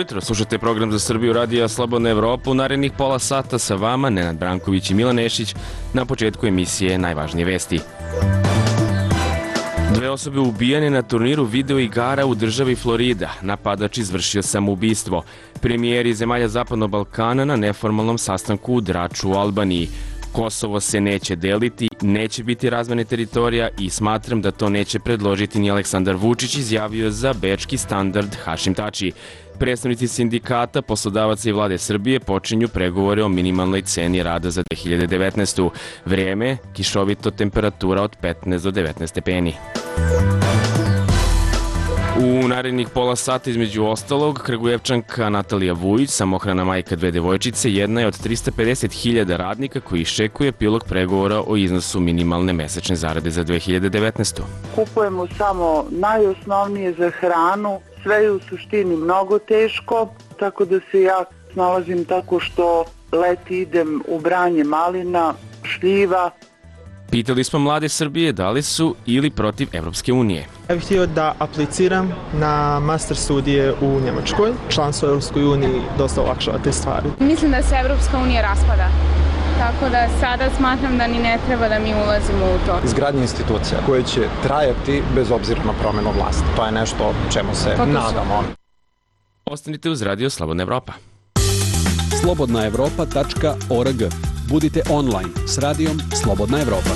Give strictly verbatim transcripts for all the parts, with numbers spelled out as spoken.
jutro, slušate program za Srbiju Radija Slobodna Evropa. U narednih pola sata sa vama Nenad Branković i Milan Nešić. Na početku emisije najvažnije vesti. Dve osobe ubijene na turniru videoigara u državi Florida. Napadač izvršio samoubistvo. Premijeri zemalja Zapadnog Balkana na neformalnom sastanku u Draču u Albaniji. Kosovo se neće deliti, neće biti razmene teritorija i smatram da to neće predložiti ni Aleksandar Vučić, izjavio za bečki Standard Hašim Tači. Predstavnici sindikata, poslodavaca i vlade Srbije počinju pregovore o minimalnoj ceni rada za dve hiljade devetnaestu. Vrijeme, kišovito, temperatura od petnaest do devetnaest stepeni. U narednih pola sata između ostalog, Kragujevčanka Natalija Vujić, samohrana majka dve devojčice, jedna je od trista pedeset hiljada radnika koji iščekuje epilog pregovora o iznosu minimalne mesečne zarade za dve hiljade devetnaestu. Kupujemo samo najosnovnije za hranu, sve je u suštini mnogo teško, tako da se ja snalazim tako što leti idem u branje malina, šljiva. Pitali smo mlade Srbije da li su ili protiv Evropske unije. Ja bih htio da apliciram na master studije u Njemačkoj. Članstvo u Evropskoj uniji dosta olakšava te stvari. Mislim da se Evropska unija raspada. Tako da sada smatram da ni ne treba da mi ulazimo u to. Izgradnja institucija koje će trajati bez obzira na promjenu vlasti. To je nešto čemu se to nadamo. Ostanite uz Radio Slobodna Evropa. slobodna evropa tačka org. Budite online s radijom Slobodna Evropa.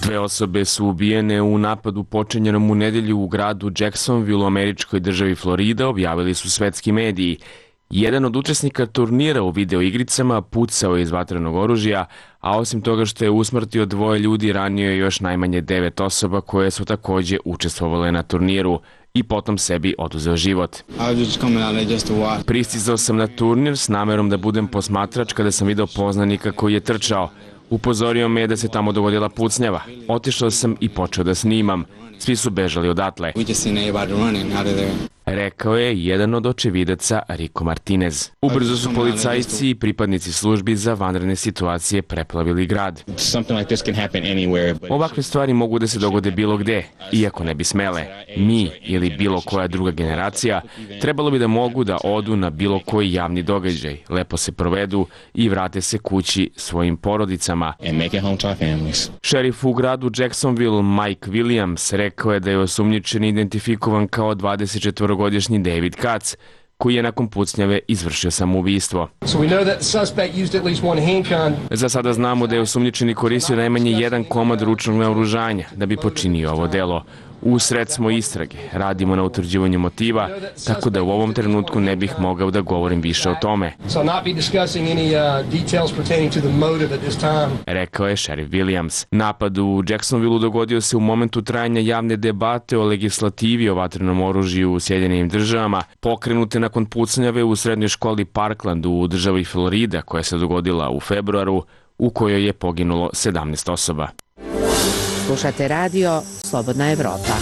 Dve osobe su ubijene u napadu počinjenom u nedelju u gradu Jacksonville u američkoj državi Florida, objavili su svetski mediji. Jedan od učesnika turnira u videoigricama pucao je iz vatrenog oružja, a osim toga što je usmrtio dvoje ljudi, ranio je još najmanje devet osoba koje su takođe učestvovale na turniru i potom sebi oduzeo život. Pristizao sam na turnir s namerom da budem posmatrač kada sam video poznanika koji je trčao. Upozorio me da se tamo dogodila pucnjava. Otišao sam i počeo da snimam. Svi su bežali odatle. Rekao je jedan od očevidaca Rico Martinez. Ubrzo su policajci i pripadnici službi za vanredne situacije preplavili grad. Ovakve stvari mogu da se dogode bilo gde, iako ne bi smele. Mi ili bilo koja druga generacija trebalo bi da mogu da odu na bilo koji javni događaj, lepo se provedu i vrate se kući svojim porodicama. Šerif u gradu Jacksonville Mike Williams rekao je da je osumnjičen identifikovan kao dvadesetčetvorogodišnji David Katz, koji je nakon pucnjave izvršio samoubistvo. Za sada znamo da je osumnjičeni koristio najmanje jedan komad ručnog naoružanja da bi počinio ovo delo. Usred smo istrage, radimo na utvrđivanju motiva, tako da u ovom trenutku ne bih mogao da govorim više o tome. Rekao je šerif Williams. Napad u Jacksonville dogodio se u momentu trajanja javne debate o legislativi o vatrenom oružju u Sjedinjenim državama, pokrenute nakon pucnjave u srednjoj školi Parkland u državi Florida, koja se dogodila u februaru, u kojoj je poginulo sedamnaest osoba. Slušate radio Slobodna Evropa.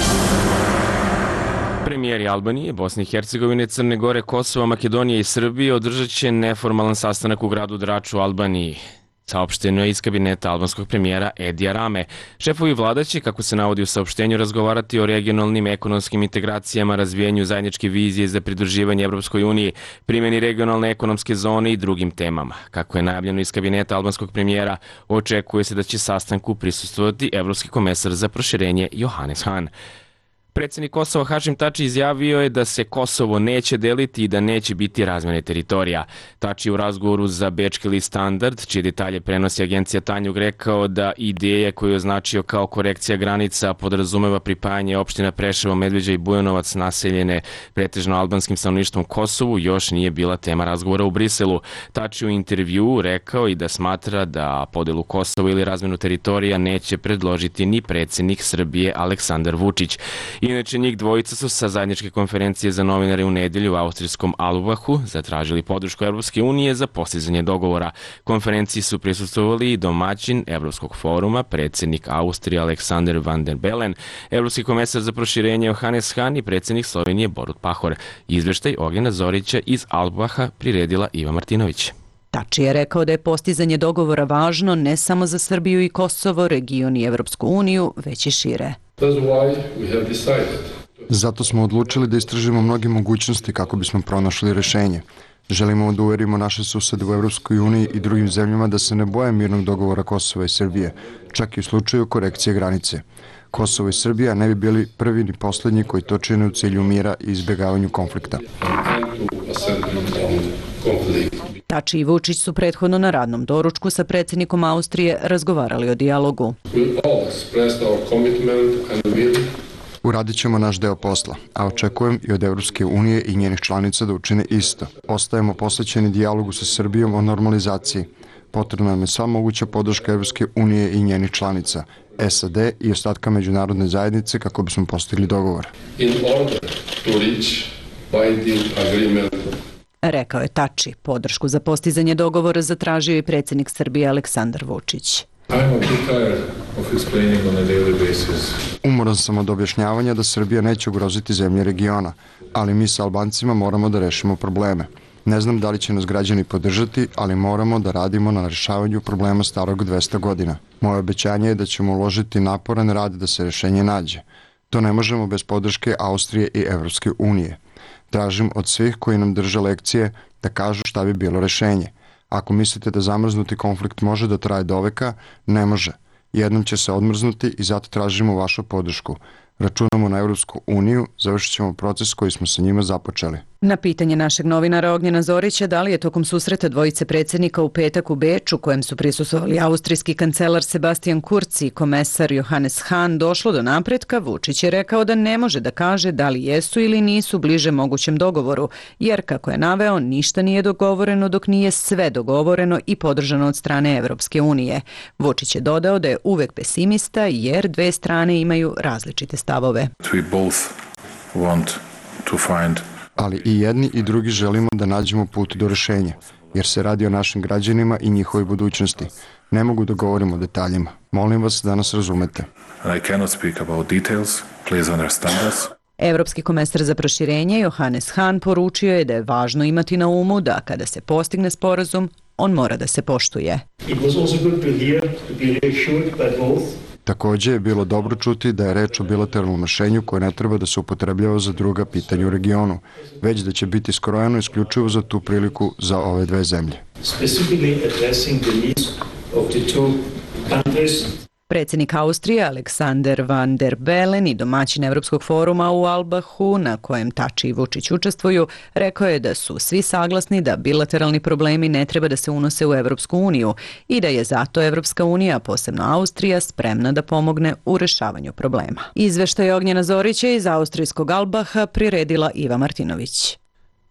Premijeri Albanije, Bosne i Hercegovine, Crne Gore, Kosova, Makedonije i Srbije održat će neformalan sastanak u gradu Draču u Albaniji. Saopšteno je iz kabineta albanskog premijera Edija Rame. Šefovi vlada će, kako se navodi u saopštenju, razgovarati o regionalnim ekonomskim integracijama, razvijenju zajedničke vizije za pridruživanje Evropskoj uniji, primjeni regionalne ekonomske zone i drugim temama. Kako je najavljeno iz kabineta albanskog premijera, očekuje se da će sastanku prisustvovati evropski komesar za proširenje Johannes Hahn. Predsjednik Kosova Hašim Tači izjavio je da se Kosovo neće deliti i da neće biti razmene teritorija. Tači u razgovoru za bečki list Standard, čije detalje prenosi agencija Tanjug, rekao da ideja koju je označio kao korekcija granica podrazumeva pripajanje opština Preševo, Medveđa i Bujanovac naseljene pretežno albanskim stanovništvom Kosovu još nije bila tema razgovora u Briselu. Tači u intervjuu rekao i da smatra da podelu Kosova ili razmenu teritorija neće predložiti ni predsjednik Srbije Aleksandar Vučić. Inače, njih dvojica su sa zajedničke konferencije za novinare u nedelju u austrijskom Albahu zatražili podršku Evropske unije za postizanje dogovora. Konferenciji su prisustvovali i domaćin Evropskog foruma, predsjednik Austrije Aleksander Van der Bellen, evropski komesar za proširenje Johannes Hahn i predsjednik Slovenije Borut Pahor. Izveštaj Ognjena Zorića iz Albaha priredila Iva Martinović. Tači je rekao da je postizanje dogovora važno ne samo za Srbiju i Kosovo, region i Evropsku uniju, već i šire. Zato smo odlučili da istražimo mnoge mogućnosti kako bismo pronašli rešenje. Želimo da uverimo naše susede u Evropskoj uniji i drugim zemljama da se ne boje mirnog dogovora Kosova i Srbije, čak i u slučaju korekcije granice. Kosovo i Srbija ne bi bili prvi ni poslednji koji to čine u cilju mira i izbjegavanju konflikta. Tači i Vučić su prethodno na radnom doručku sa predsjednikom Austrije razgovarali o dijalogu. Uradit ćemo naš deo posla, a očekujem i od Evropske unije i njenih članica da učine isto. Ostajemo posvećeni dijalogu sa Srbijom o normalizaciji. Potrebna nam je sva moguća podrška Evropske unije i njenih članica, S A D i ostatka međunarodne zajednice kako bismo postigli dogovor. Rekao je Tači. Podršku za postizanje dogovora zatražio i predsjednik Srbije Aleksandar Vučić. Umoran sam od objašnjavanja da Srbija neće ugroziti zemlje regiona, ali mi sa Albancima moramo da rešimo probleme. Ne znam da li će nas građani podržati, ali moramo da radimo na rešavanju problema starog dvesta godina. Moje obećanje je da ćemo uložiti naporan rad da se rešenje nađe. To ne možemo bez podrške Austrije i Evropske unije. Tražim od svih koji nam drže lekcije da kažu šta bi bilo rešenje. Ako mislite da zamrznuti konflikt može da traje do veka, ne može. Jednom će se odmrznuti i zato tražimo vašu podršku. Računamo na Evropsku uniju, završit ćemo proces koji smo sa njima započeli. Na pitanje našeg novinara Ognjena Zorića da li je tokom susreta dvojice predsjednika u petak u Beču, kojem su prisustvovali austrijski kancelar Sebastian Kurz i komesar Johannes Hahn, došlo do napretka, Vučić je rekao da ne može da kaže da li jesu ili nisu bliže mogućem dogovoru, jer, kako je naveo, ništa nije dogovoreno dok nije sve dogovoreno i podržano od strane Evropske unije. Vučić je dodao da je uvek pesimista jer dve strane imaju različite stavove. We both want to find ali i jedni i drugi želimo da nađemo put do rešenja, jer se radi o našim građanima i njihovoj budućnosti. Ne mogu da govorim o detaljima. Molim vas da nas razumete. I cannot speak about details. Please understand us. Evropski komesar za proširenje Johannes Hahn poručio je da je važno imati na umu da kada se postigne sporazum, on mora da se poštuje. It was also good to hear, to be reassured by both. Takođe je bilo dobro čuti da je reč o bilateralnom rešenju koje ne treba da se upotrebljava za druga pitanja u regionu, već da će biti skrojeno isključivo za tu priliku za ove dve zemlje. Predsjednik Austrije Alexander Van der Bellen i domaćin Evropskog foruma u Albahu, na kojem Tači i Vučić učestvuju, rekao je da su svi saglasni da bilateralni problemi ne treba da se unose u Evropsku uniju i da je zato Evropska unija, posebno Austrija, spremna da pomogne u rešavanju problema. Izveštaj Ognjena Zorića iz austrijskog Albaha priredila Iva Martinović.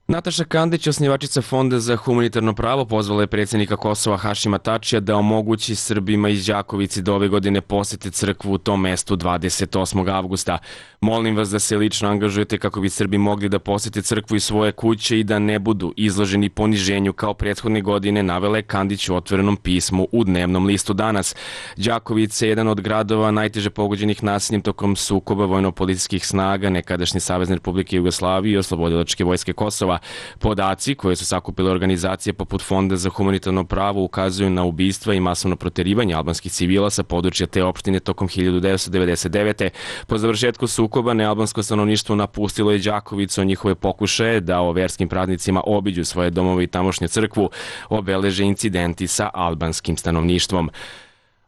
Nataša Kandić, osnivačica Fonda za humanitarno pravo, pozvala je predsjednika Kosova Hašima Tačija da omogući Srbima iz Đakovice da ove godine posete crkvu u tom mestu dvadeset osmog avgusta. Molim vas da se lično angažujete kako bi Srbi mogli da posete crkvu iz svoje kuće i da ne budu izloženi poniženju kao prethodne godine, navela je Kandić u otvorenom pismu u dnevnom listu Danas. Đakovica je jedan od gradova najteže pogođenih nasiljem tokom sukoba vojno-policijskih snaga nekadašnje Savezne Republike Jugoslavije i Oslobodilačke vojske Kosova. Podaci koje su sakupile organizacije poput Fonda za humanitarno pravo ukazuju na ubistva i masovno proterivanje albanskih civila sa područja te opštine tokom hiljadu devetsto devedeset devete. Po završetku sukoba nealbansko stanovništvo napustilo je Đakovicu, njihove pokušaje da o verskim praznicima obiđu svoje domove i tamošnju crkvu obeleže incidenti sa albanskim stanovništvom.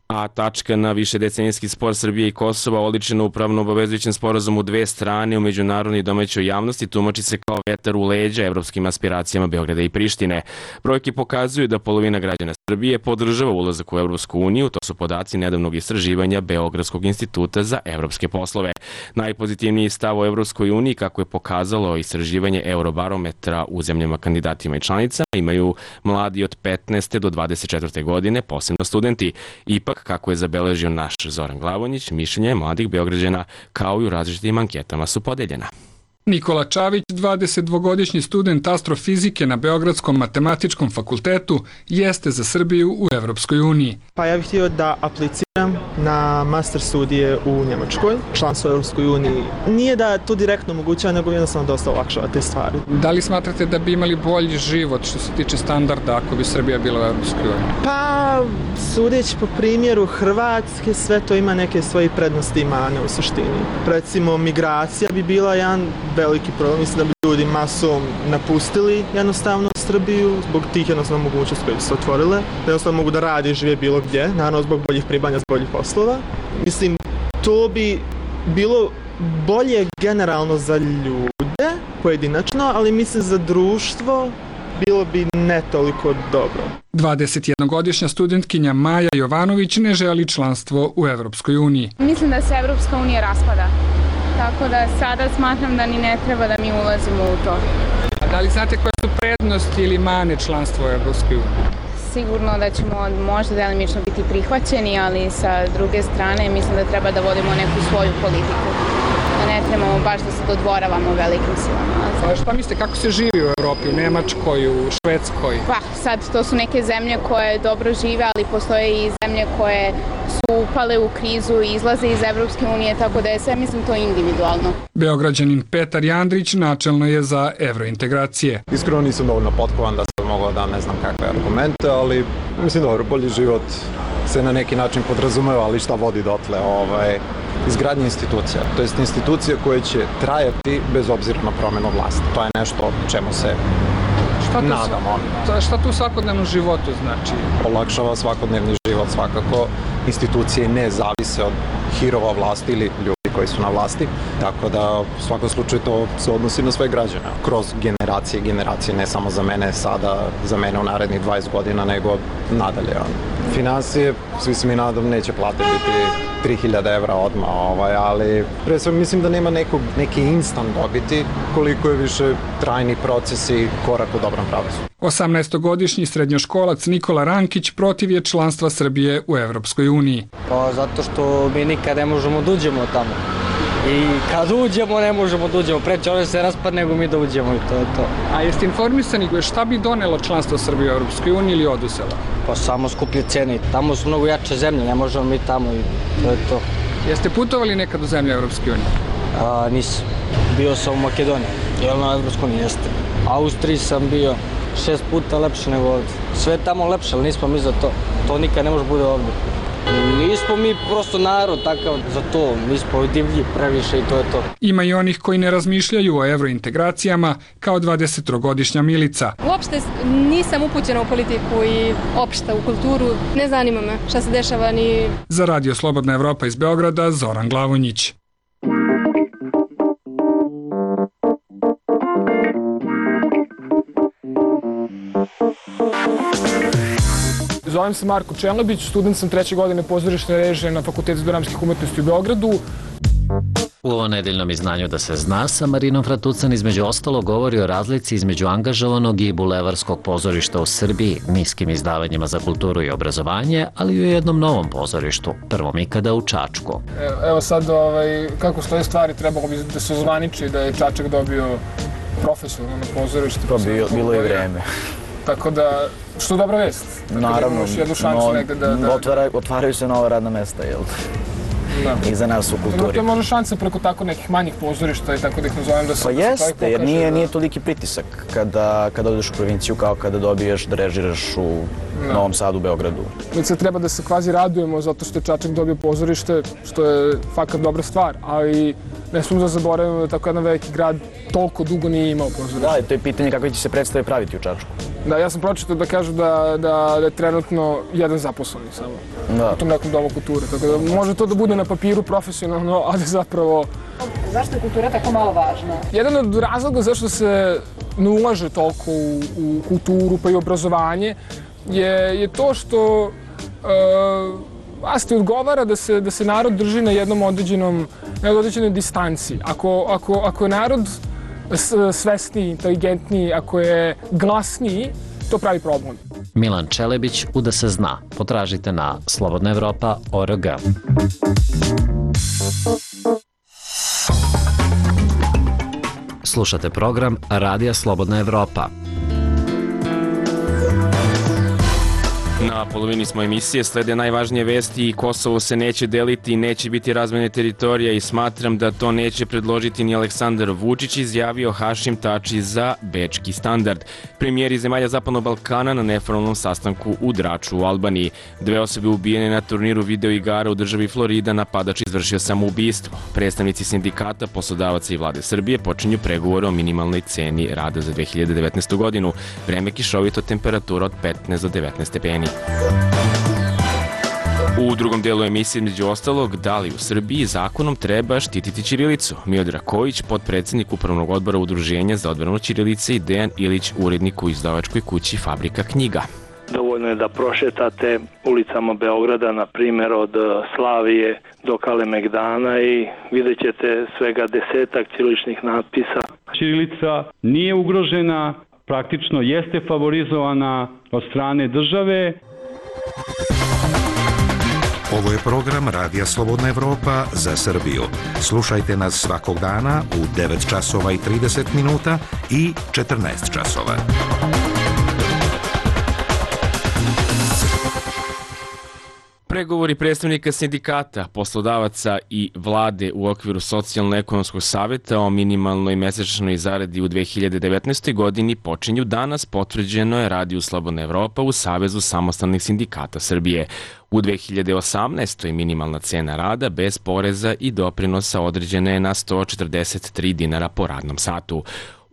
A tačka na višedecenijski spor Srbije i Kosova, oličena u pravno obavezujućem sporazumu dve strane u međunarodnoj i domaćoj javnosti, tumači se kao vetar u leđa evropskim aspiracijama Beograda i Prištine. Brojke pokazuju da polovina građana Srbije podržava ulazak u Evropsku uniju, to su podaci nedavnog istraživanja Beogradskog instituta za evropske poslove. Najpozitivniji stav o Evropskoj uniji, kako je pokazalo istraživanje Eurobarometra u zemljama kandidatima i članicama, imaju mladi od petnaeste do dvadeset četvrte godine, posebno studenti. Ipak, kako je zabeležio naš Zoran Glavonjić, mišljenje mladih Beograđana kao i u različitim anketama su podeljena. Nikola Čavić, dvadesetdvogodišnji student astrofizike na Beogradskom matematičkom fakultetu, jeste za Srbiju u Evropskoj uniji. Pa ja bih htio da apliciram na master studije u Njemačkoj, članstvo u Europskoj uniji. Nije da to direktno omogućava, nego jednostavno dosta olakšava te stvari. Da li smatrate da bi imali bolji život što se tiče standarda ako bi Srbija bila u Europskoj uniji? Pa, sudeći po primjeru Hrvatske, sve to ima neke svoje prednosti i mane u suštini. Recimo, migracija bi bila jedan veliki problem. Mislim da bi ljudi masom napustili jednostavno Srbiju zbog tih jednostavno mogućnosti koje bi se otvorile. Da jednostavno mogu da radi i žive bilo gdje, naravno zbog boljih pribanja, zbog boljih poslova. Mislim, to bi bilo bolje generalno za ljude, pojedinačno, ali mislim za društvo bilo bi ne toliko dobro. dvadesetjednogodišnja studentkinja Maja Jovanović ne želi članstvo u Evropskoj uniji. Mislim da se Evropska unija raspada, tako da sada smatram da ni ne treba da mi ulazimo u to. A da li znate koje su prednosti ili mane članstva u Evropskoj uniji? Sigurno da ćemo možda delimično biti prihvaćeni, ali sa druge strane mislim da treba da vodimo neku svoju politiku. Da ne trebamo baš da se dodvoravamo velikim silama. A šta mislite, kako se živi u Evropi, u Nemačkoj, u Švedskoj? Pa, sad to su neke zemlje koje dobro žive, ali postoje i zemlje koje su upale u krizu i izlaze iz Evropske unije, tako da je sve, mislim, to individualno. Beograđanin Petar Jandrić načelno je za evrointegracije. Iskreno nisam dovoljno potkovan da sam mogao da ne znam kakve argumente, ali mislim dobro, bolji život se na neki način podrazumeva, ali šta vodi dotle, ovaj, izgradnje institucija, to jest institucije koje će trajati bez obzira na promjenu vlasti. To je nešto čemu se šta nadamo. To, šta tu u svakodnevnom životu znači? Olakšava svakodnevni život svakako. Institucije ne zavise od hirova vlasti ili ljudi koji su na vlasti, tako da u svakom slučaju to se odnosi na sve građane, kroz generacije i generacije, ne samo za mene sada, za mene u narednih dvadeset godina, nego nadalje. Finansije, svi se mi nadam, neće plate biti tri hiljade evra odmah, ovaj, ali pre sve mislim da nema nekog, neki instant dobiti, koliko je više trajni proces i korak u dobrom pravcu. osamnaestogodišnji srednjoškolac Nikola Rankić protiv je članstva Srbije u Evropskoj uniji. Pa zato što mi nikad ne možemo da uđemo tamo. I kad uđemo ne možemo da uđemo, preće ono se raspad nego mi da uđemo i to je to. A jeste informisani šta bi donelo članstvo Srbije u Evropskoj uniji ili oduzela? Pa samo skuplje cene, tamo su mnogo jače zemlje, ne možemo mi tamo i to je to. Jeste putovali nekad u zemlje Evropske unije? A, nisam. Bio sam u Makedoniji, jel na Evropskoj uniji jeste. Austriji sam bio šest puta lepše nego ovdje. Sve je tamo lepše, ali nismo mi za to. To nikad ne može bude ovdje. Nismo mi prosto narod takav za to, mi smo divlji previše i to je to. Ima i onih koji ne razmišljaju o evrointegracijama kao dvadesettrogodišnja Milica. Uopšte nisam upućena u politiku i opšte u kulturu, ne zanima me šta se dešava ni... Za Radio Slobodna Evropa iz Beograda, Zoran Glavonjić. Zovem se Marko Čenlebić, student sam treće godine pozorišne režije na Fakultetu dramskih umetnosti u Beogradu. U ovo nedeljnom izdanju Da se zna sa Marinom Fratucan između ostalo govori o razlici između angažovanog i bulevarskog pozorišta u Srbiji, niskim izdavanjima za kulturu i obrazovanje, ali i u jednom novom pozorištu, prvom ikada u Čačku. Evo sad, ovaj, kako stoje stvari, trebalo bi da se zvaniči da je Čačak dobio profesionalno pozorište. To bilo, bilo i vreme. Tako da, što je dobra vest. Naravno, otvaraju se nova radna mesta, jel? I za nas u kulturi. To je možda šansa preko tako nekih manjih pozorišta i tako da ih nazovem da se... Pa jeste, jer nije toliki pritisak kada odeš u provinciju kao kada dobiješ da režiraš u Novom Sadu, Beogradu. Mi sad treba da se kvazi radujemo zato što je Čačak dobio pozorište, što je fakat dobra stvar, ali ne smemo da zaboravimo da tako jedan veliki grad toliko dugo nije imao pozorište. Da, to je pitanje kako će se predstave praviti u Čačku. Da, ja sam pročitao da kažu da je trenutno jedan zaposleni samo u tom nekom domu kulture, tako da može to da bude na papiru profesionalno, ali zapravo... Zašto je kultura tako malo važna? Jedan od razloga zašto se ne ulaže toliko u kulturu pa i obrazovanje je to što vlasti odgovara da se narod drži na jednom određenoj distanci. Ako je narod svesniji, inteligentniji, ako je glasniji, to pravi problem. Milan Čelebić u Da se zna. Potražite na slobodna evropa tačka org. Slušate program Radija Slobodna Evropa. Na polovini smo emisije, slede najvažnije vesti i Kosovo se neće deliti i neće biti razmene teritorija i smatram da to neće predložiti ni Aleksandar Vučić, izjavio Hašim Tači za Bečki standard. Premijeri zemalja Zapadnog Balkana na neformalnom sastanku u Draču u Albaniji. Dve osobe ubijene na turniru videoigara u državi Florida, napadač izvršio samoubistvo. Predstavnici sindikata, poslodavaca i vlade Srbije počinju pregovore o minimalnoj ceni rada za dve hiljade devetnaestu godinu. Vreme kišovito, temperatura od petnaest do devetnaest stepeni. U drugom delu emisije, među ostalog, da li u Srbiji zakonom treba štititi ćirilicu? Miodrag Kojić, potpredsednik Upravnog odbora Udruženja za odbranu ćirilice, i Dejan Ilić, urednik u izdavačkoj kući Fabrika knjiga. Dovoljno je da prošetate ulicama Beograda, na primjer od Slavije do Kalemegdana, i vidjet ćete svega desetak ćiriličnih natpisa. Ćirilica nije ugrožena, praktično jeste favorizovana od strane države. Ovo je program Radija Slobodna Evropa za Srbiju. Slušajte nas svakog dana u devet časova i trideset minuta i četrnaest časova. Pregovori predstavnika sindikata, poslodavaca i vlade u okviru Socijalno-ekonomskog saveta o minimalnoj mesečnoj zaradi u dve hiljade devetnaestoj. godini počinju danas, potvrđeno je Radiju Slobodna Evropa u Savezu samostalnih sindikata Srbije. U dve hiljade osamnaestoj. minimalna cena rada bez poreza i doprinosa određena je na sto četrdeset tri dinara po radnom satu.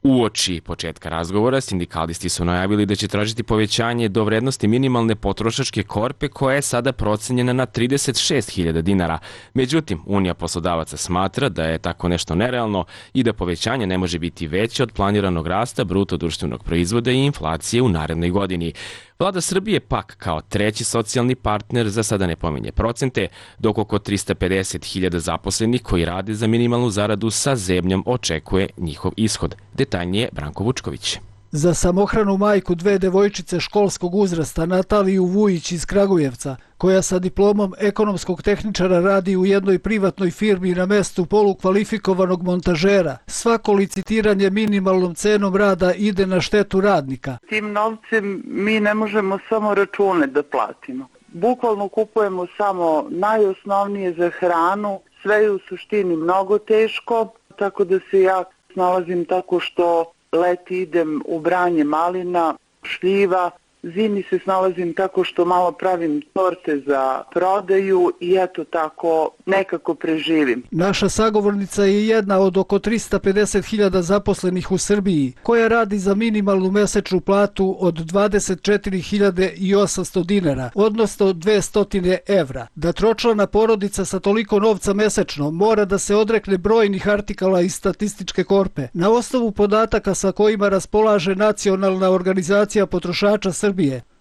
Uoči početka razgovora, sindikalisti su najavili da će tražiti povećanje do vrednosti minimalne potrošačke korpe, koja je sada procenjena na trideset šest hiljada dinara. Međutim, Unija poslodavaca smatra da je tako nešto nerealno i da povećanje ne može biti veće od planiranog rasta bruto društvenog proizvoda i inflacije u narednoj godini. Vlada Srbije pak kao treći socijalni partner za sada ne pominje procente, dok oko trista pedeset hiljada zaposlenih koji rade za minimalnu zaradu sa zebnjom očekuje njihov ishod. Detaljnije Branko Vučković. Za samohranu majku dve devojčice školskog uzrasta, Nataliju Vujić iz Kragujevca, koja sa diplomom ekonomskog tehničara radi u jednoj privatnoj firmi na mestu polukvalifikovanog montažera, svako licitiranje minimalnom cenom rada ide na štetu radnika. Tim novcem mi ne možemo samo račune da platimo. Bukvalno kupujemo samo najosnovnije za hranu, sve je u suštini mnogo teško, tako da se ja snalazim tako što leti idem u branje malina, šljiva, zimi se snalazim tako što malo pravim torte za prodaju i eto tako nekako preživim. Naša sagovornica je jedna od oko trista pedeset hiljada zaposlenih u Srbiji, koja radi za minimalnu mesečnu platu od dvadeset četiri hiljade osamsto dinara, odnosno dvesta evra. Da tročlana porodica sa toliko novca mesečno mora da se odrekne brojnih artikala iz statističke korpe. Na osnovu podataka sa kojima raspolaže Nacionalna organizacija potrošača Srbije,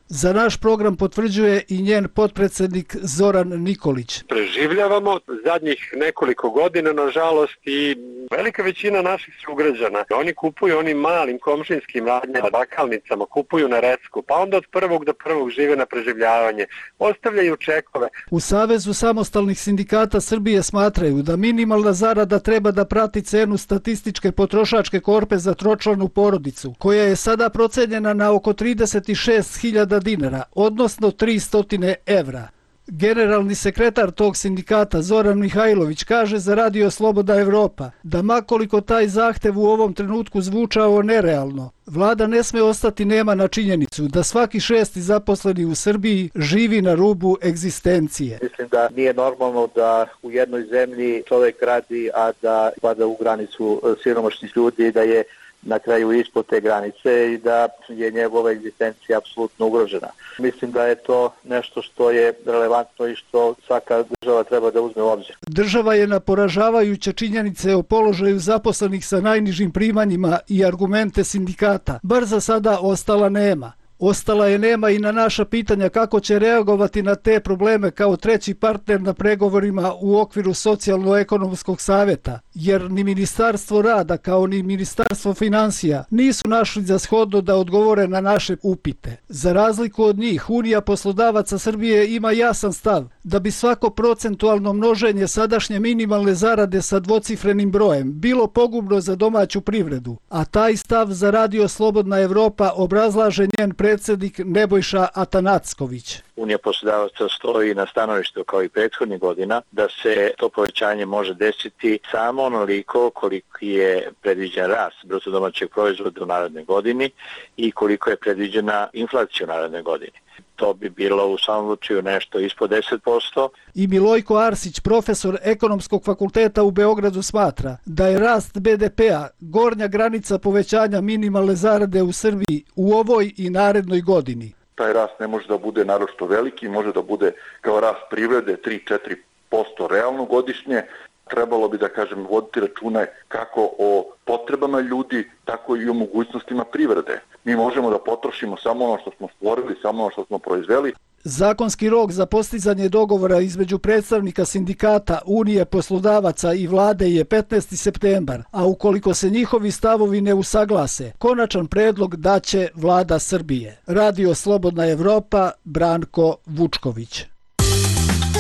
za naš program potvrđuje i njen potpredsednik Zoran Nikolić. Preživljavamo zadnjih nekoliko godina, nažalost, i velika većina naših sugrađana. Oni kupuju onim malim komšinskim radnjama, bakalnicama, kupuju na recku, pa onda od prvog do prvog žive na preživljavanje, ostavljaju čekove. U Savezu samostalnih sindikata Srbije smatraju da minimalna zarada treba da prati cenu statističke potrošačke korpe za tročlanu porodicu, koja je sada procenjena na oko trideset šest hiljada dinara, odnosno tristo evra. Generalni sekretar tog sindikata Zoran Mihajlović kaže za Radio Slobodna Evropa da makoliko taj zahtev u ovom trenutku zvučao nerealno, vlada ne sme ostati nema na činjenicu da svaki šesti zaposleni u Srbiji živi na rubu egzistencije. Mislim da nije normalno da u jednoj zemlji čovjek radi, a da pada u granicu siromašnih ljudi, da je na kraju ispod te granice i da je njegova egzistencija apsolutno ugrožena. Mislim da je to nešto što je relevantno i što svaka država treba da uzme u obzir. Država je na poražavajuće činjenice o položaju zaposlenih sa najnižim primanjima i argumente sindikata bar za sada ostala nema. Ostala je nema i na naša pitanja kako će reagovati na te probleme kao treći partner na pregovorima u okviru Socijalno-ekonomskog saveta, jer ni Ministarstvo rada kao ni Ministarstvo finansija nisu našli za shodno da odgovore na naše upite. Za razliku od njih, Unija poslodavaca Srbije ima jasan stav da bi svako procentualno množenje sadašnje minimalne zarade sa dvocifrenim brojem bilo pogubno za domaću privredu, a taj stav za Radio Slobodna Evropa obrazlaže njen predsjednik Nebojša Atanacković. Unija poslodavaca stoji na stanovištu kao i prethodnih godina da se to povećanje može desiti samo onoliko koliko je predviđen rast bruto domaćeg proizvoda u narednoj godini i koliko je predviđena inflacija u narednoj godini. To bi bilo u samom slučaju nešto ispod deset posto. I Milojko Arsić, profesor Ekonomskog fakulteta u Beogradu, smatra da je rast be de pea gornja granica povećanja minimalne zarade u Srbiji u ovoj i narednoj godini. Taj rast ne može da bude naročito veliki, može da bude kao rast privrede tri do četiri posto realno godišnje. Trebalo bi, da kažem, voditi račune kako o potrebama ljudi, tako i o mogućnostima privrede. Mi možemo da potrošimo samo ono što smo stvorili, samo ono što smo proizveli. Zakonski rok za postizanje dogovora između predstavnika sindikata, Unije poslodavaca i vlade je petnaesti septembar, a ukoliko se njihovi stavovi ne usaglase, konačan predlog daće vlada Srbije. Radio Slobodna Evropa, Branko Vučković.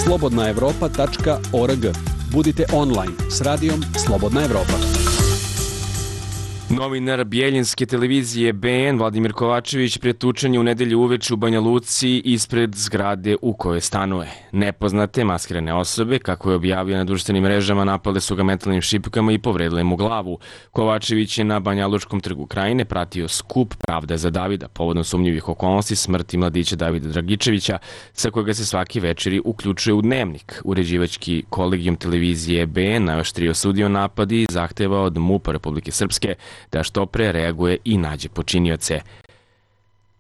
slobodna evropa tačka org. Budite online s radijom Slobodna Evropa. Novinar Bijeljinske televizije B N Vladimir Kovačević pretučen je u nedelju uveče u Banja Luci ispred zgrade u kojoj stanuje. Nepoznate maskirane osobe, kako je objavio na društvenim mrežama, napale su ga metalnim šipkama i povredile mu glavu. Kovačević je na Banjalučkom trgu Krajine pratio skup Pravda za Davida, povodom sumnjivih okolnosti smrti mladića Davida Dragičevića, sa kojega se svaki večeri uključuje u Dnevnik. Uređivački kolegijum televizije B N najoštrije osudio napad i zahteva od M U P-a Republike Srpske da što pre reaguje i nađe počinioce.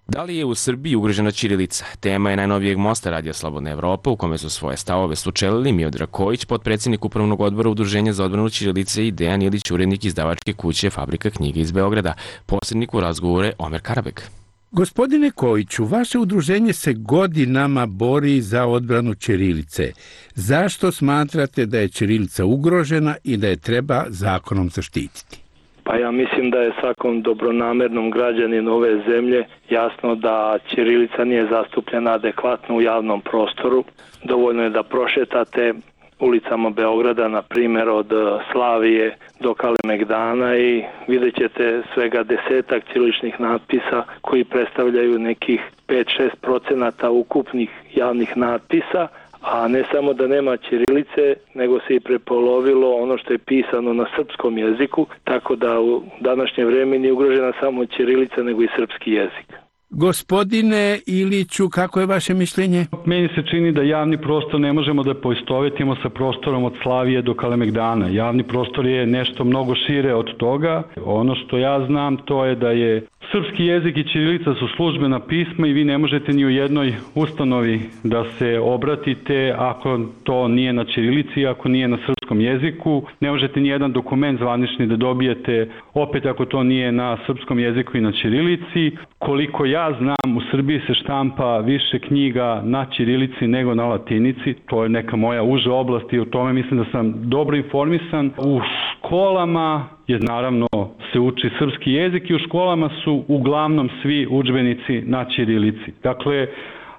Da li je u Srbiji ugrožena ćirilica? Tema je najnovijeg mosta Radio Slobodna Evropa, u kome su svoje stavove sučelili Miodrag Kojić, potpredsjednik Upravnog odbora Udruženja za odbranu ćirilice, i Dejan Ilić, urednik izdavačke kuće Fabrika knjiga iz Beograda. Posrednik u razgovore Omer Karabek. Gospodine Kojiću, vaše udruženje se godinama bori za odbranu ćirilice. Zašto smatrate da je ćirilica ugrožena i da je treba zakonom zaštititi? Pa ja mislim da je svakom dobronamernom građaninu ove zemlje jasno da ćirilica nije zastupljena adekvatno u javnom prostoru. Dovoljno je da prošetate ulicama Beograda, na primjer od Slavije do Kalemegdana, i vidjet ćete svega desetak ćiriličnih natpisa koji predstavljaju nekih pet do šest procenata ukupnih javnih natpisa. A ne samo da nema ćirilice, nego se i prepolovilo ono što je pisano na srpskom jeziku, tako da u današnje vrijeme nije ugrožena samo ćirilica, nego i srpski jezik. Gospodine Iliću, kako je vaše mišljenje? Meni se čini da javni prostor ne možemo da poistovetimo sa prostorom od Slavije do Kalemegdana. Javni prostor je nešto mnogo šire od toga. Ono što ja znam, to je da je srpski jezik i ćirilica su službena pisma i vi ne možete ni u jednoj ustanovi da se obratite ako to nije na ćirilici, ako nije na srpskom jeziku. Ne možete ni jedan dokument zvanični da dobijete opet ako to nije na srpskom jeziku i na ćirilici. Koliko ja znam, u Srbiji se štampa više knjiga na ćirilici nego na latinici. To je neka moja uža oblast i o tome mislim da sam dobro informisan. U školama je naravno se uči srpski jezik i u školama su uglavnom svi udžbenici na ćirilici. Dakle,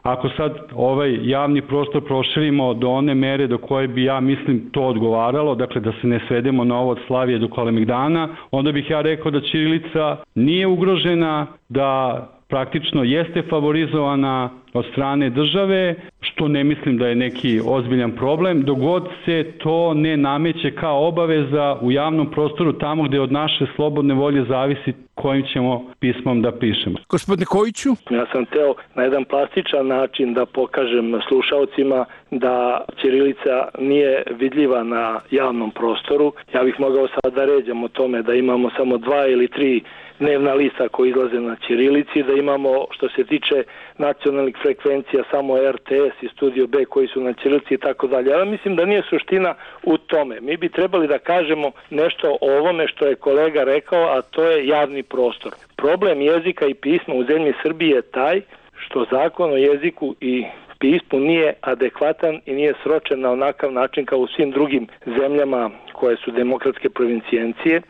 ako sad ovaj javni prostor proširimo do one mere do koje bi, ja mislim, to odgovaralo, dakle da se ne svedemo na ovo od Slavije do Kalemegdana, onda bih ja rekao da ćirilica nije ugrožena, da praktično jeste favorizovana od strane države, što ne mislim da je neki ozbiljan problem, dok god se to ne nameće kao obaveza u javnom prostoru tamo gde od naše slobodne volje zavisi kojim ćemo pismom da pišemo. Gospodine Kojiću? Ja sam teo na jedan plastičan način da pokažem slušalcima da ćirilica nije vidljiva na javnom prostoru. Ja bih mogao sad da ređam o tome da imamo samo dva ili tri dnevna lista koji izlaze na ćirilici, da imamo, što se tiče nacionalnih frekvencija, samo R T S i Studio B koji su na ćirilici i tako dalje. Ja mislim da nije suština u tome. Mi bi trebali da kažemo nešto o ovome što je kolega rekao, a to je javni prostor. Problem jezika i pisma u zemlji Srbije je taj što zakon o jeziku i pismu nije adekvatan i nije sročen na onakav način kao u svim drugim zemljama koje su demokratske provincijencije,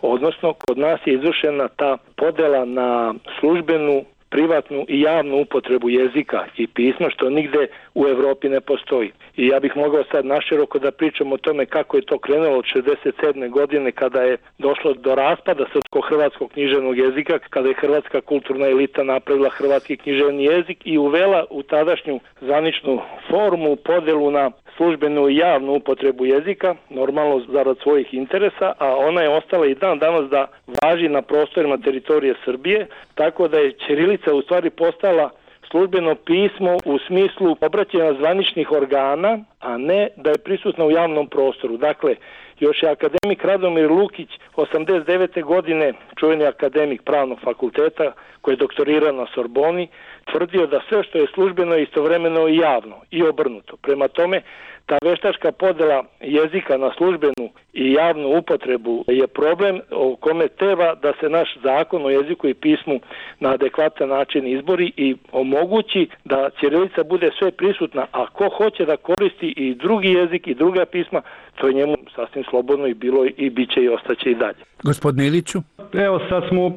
odnosno kod nas je izvršena ta podela na službenu privatnu i javnu upotrebu jezika i pisma, što nigde u Evropi ne postoji. I ja bih mogao sad naširoko da pričam o tome kako je to krenulo od šezdeset sedme godine kada je došlo do raspada srpsko-hrvatskog književnog jezika, kada je hrvatska kulturna elita napravila hrvatski književni jezik i uvela u tadašnju zvaničnu formu podelu na službenu i javnu upotrebu jezika, normalno zarad svojih interesa, a ona je ostala i dan danas da važi na prostorima teritorije Srbije, tako da je ćirilica u stvari postala službeno pismo u smislu obraćanja zvaničnih organa, a ne da je prisutna u javnom prostoru. Dakle, još je akademik Radomir Lukić osamdeset devete godine, čuveni akademik pravnog fakulteta koji je doktorirao na Sorboni, tvrdio da sve što je službeno je istovremeno i javno i obrnuto. Prema tome, ta veštačka podela jezika na službenu i javnu upotrebu je problem o kome treba da se naš zakon o jeziku i pismu na adekvatan način izbori i omogući da ćirilica bude sve prisutna, a ko hoće da koristi i drugi jezik i druga pisma, to je njemu sasvim slobodno i bilo i bit će i ostaće i dalje. Gospodine Iliću? Evo sad smo,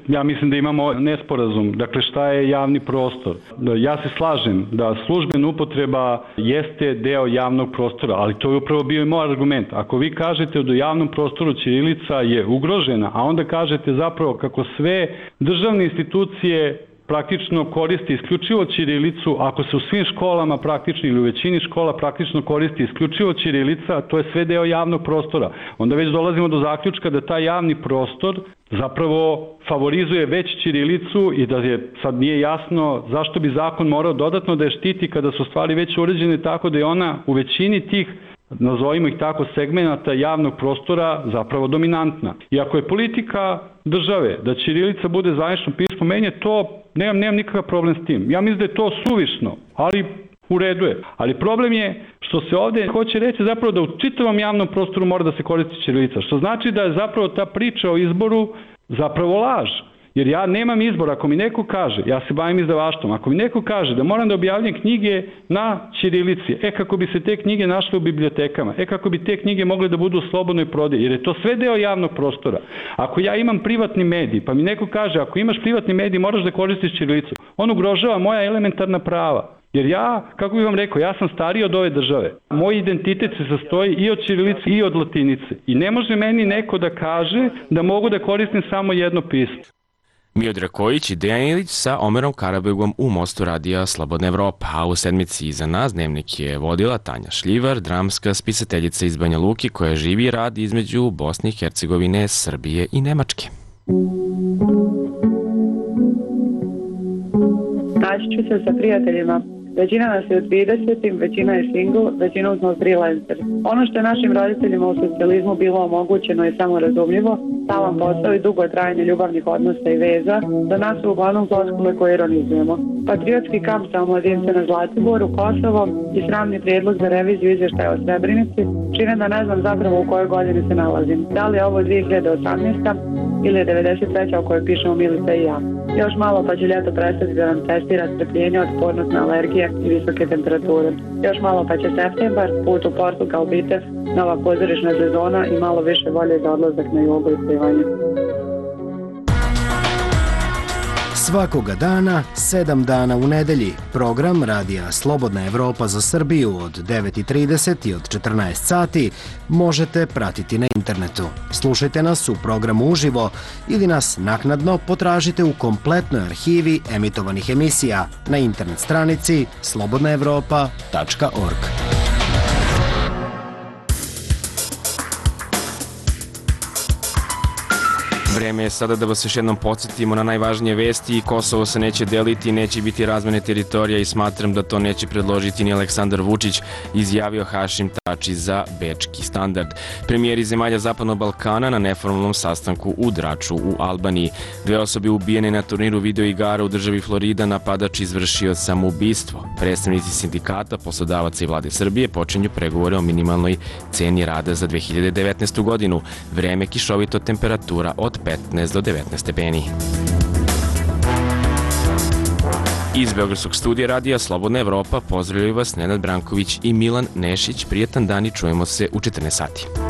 ja mislim da imamo nesporazum. Dakle, šta je javni prostor? Ja se slažem da službena upotreba jeste deo javnog prostora, ali to je upravo bio i moj argument. Ako vi kažete da u javnom prostoru ćirilica je ugrožena, a onda kažete zapravo kako sve državne institucije praktično koristi isključivo ćirilicu, ako se u svim školama praktično ili u većini škola praktično koristi isključivo ćirilica, to je sve deo javnog prostora. Onda već dolazimo do zaključka da taj javni prostor zapravo favorizuje već ćirilicu i da je sad nije jasno zašto bi zakon morao dodatno da je štiti kada su stvari već uređene tako da je ona u većini tih, nazovimo ih tako, segmenata javnog prostora zapravo dominantna. I ako je politika države da ćirilica bude zvanično pismo, meni je to, nemam, nemam nikakav problem s tim. Ja mislim da je to suvišno, ali u redu je. Ali problem je što se ovde hoće reći zapravo da u čitavom javnom prostoru mora da se koristi ćirilica, što znači da je zapravo ta priča o izboru zapravo laž. Jer ja nemam izbor, ako mi neko kaže, ja se bavim izdavaštvom, ako mi neko kaže da moram da objavljam knjige na ćirilici, e kako bi se te knjige našle u bibliotekama, e kako bi te knjige mogle da budu u slobodnoj prodaji, jer je to sve deo javnog prostora. Ako ja imam privatni medij, pa mi neko kaže, ako imaš privatni medij, moraš da koristiš ćirilicu, on ugrožava moja elementarna prava. Jer ja, kako bih vam rekao, ja sam stariji od ove države. Moj identitet se sastoji i od ćirilice i od latinice. I ne može meni neko da kaže da mogu da koristim samo jedno pismo. Miodrag Kojić i Dejan Ilić sa Omerom Karabegom u Mostu radija Slobodna Evropa, a u sedmici iza nas dnevnik je vodila Tanja Šljivar, dramska spisateljica iz Banja Luki koja živi i radi između Bosne i Hercegovine, Srbije i Nemačke. Naći ću se sa prijateljima. Većina nas je u tridesetim, većina je single, većina smo freelancer. Ono što je našim roditeljima u socijalizmu bilo omogućeno je samo razumljivo, stalan posao i dugotrajanje ljubavnih odnosa i veza, za nas su uglavnom floskule koje ironizujemo. Patriotski kamp za omladince na Zlatiboru, Kosovo i sramni prijedlog za reviziju izvještaja o Srebrenici čine da ne znam zapravo u kojoj godini se nalazim. Da li je ovo dve hiljade osamnaesta ili je devedeset treća u kojoj pišemo Milica i ja. Još malo pa će ljeto prestati da nam testira strpljenje, otpornost na alergije i visoke temperature. Još malo pa će septembar, put u Portugal, Bitev, nova pozorišna sezona i malo više volje za odlazak na jugo i plivanje. Svakoga dana, sedam dana u nedelji, program Radija Slobodna Evropa za Srbiju od devet i trideset i od četrnaest sati možete pratiti na internetu. Slušajte nas u programu uživo ili nas naknadno potražite u kompletnoj arhivi emitovanih emisija na internet stranici slobodna evropa tačka org. Vreme je sada da vas još jednom podsjetimo na najvažnije vesti. Kosovo se neće deliti, neće biti razmene teritorija i smatram da to neće predložiti ni Aleksandar Vučić, izjavio Hašim Tači za Bečki standard. Premijeri zemalja Zapadnog Balkana na neformalnom sastanku u Draču u Albaniji. Dve osobe ubijene na turniru videoigara u državi Florida, napadač izvršio samoubistvo. Predstavnici sindikata, poslodavaca i vlade Srbije počinju pregovore o minimalnoj ceni rada za dve hiljade devetnaestu. godinu. Vreme kišovito, temperatura od petnaest do devetnaest stepeni. Iz Beogradskog studija radija Slobodna Evropa pozdravljaju vas Nenad Branković i Milan Nešić. Prijetan dan i čujemo se u četrnaest sati.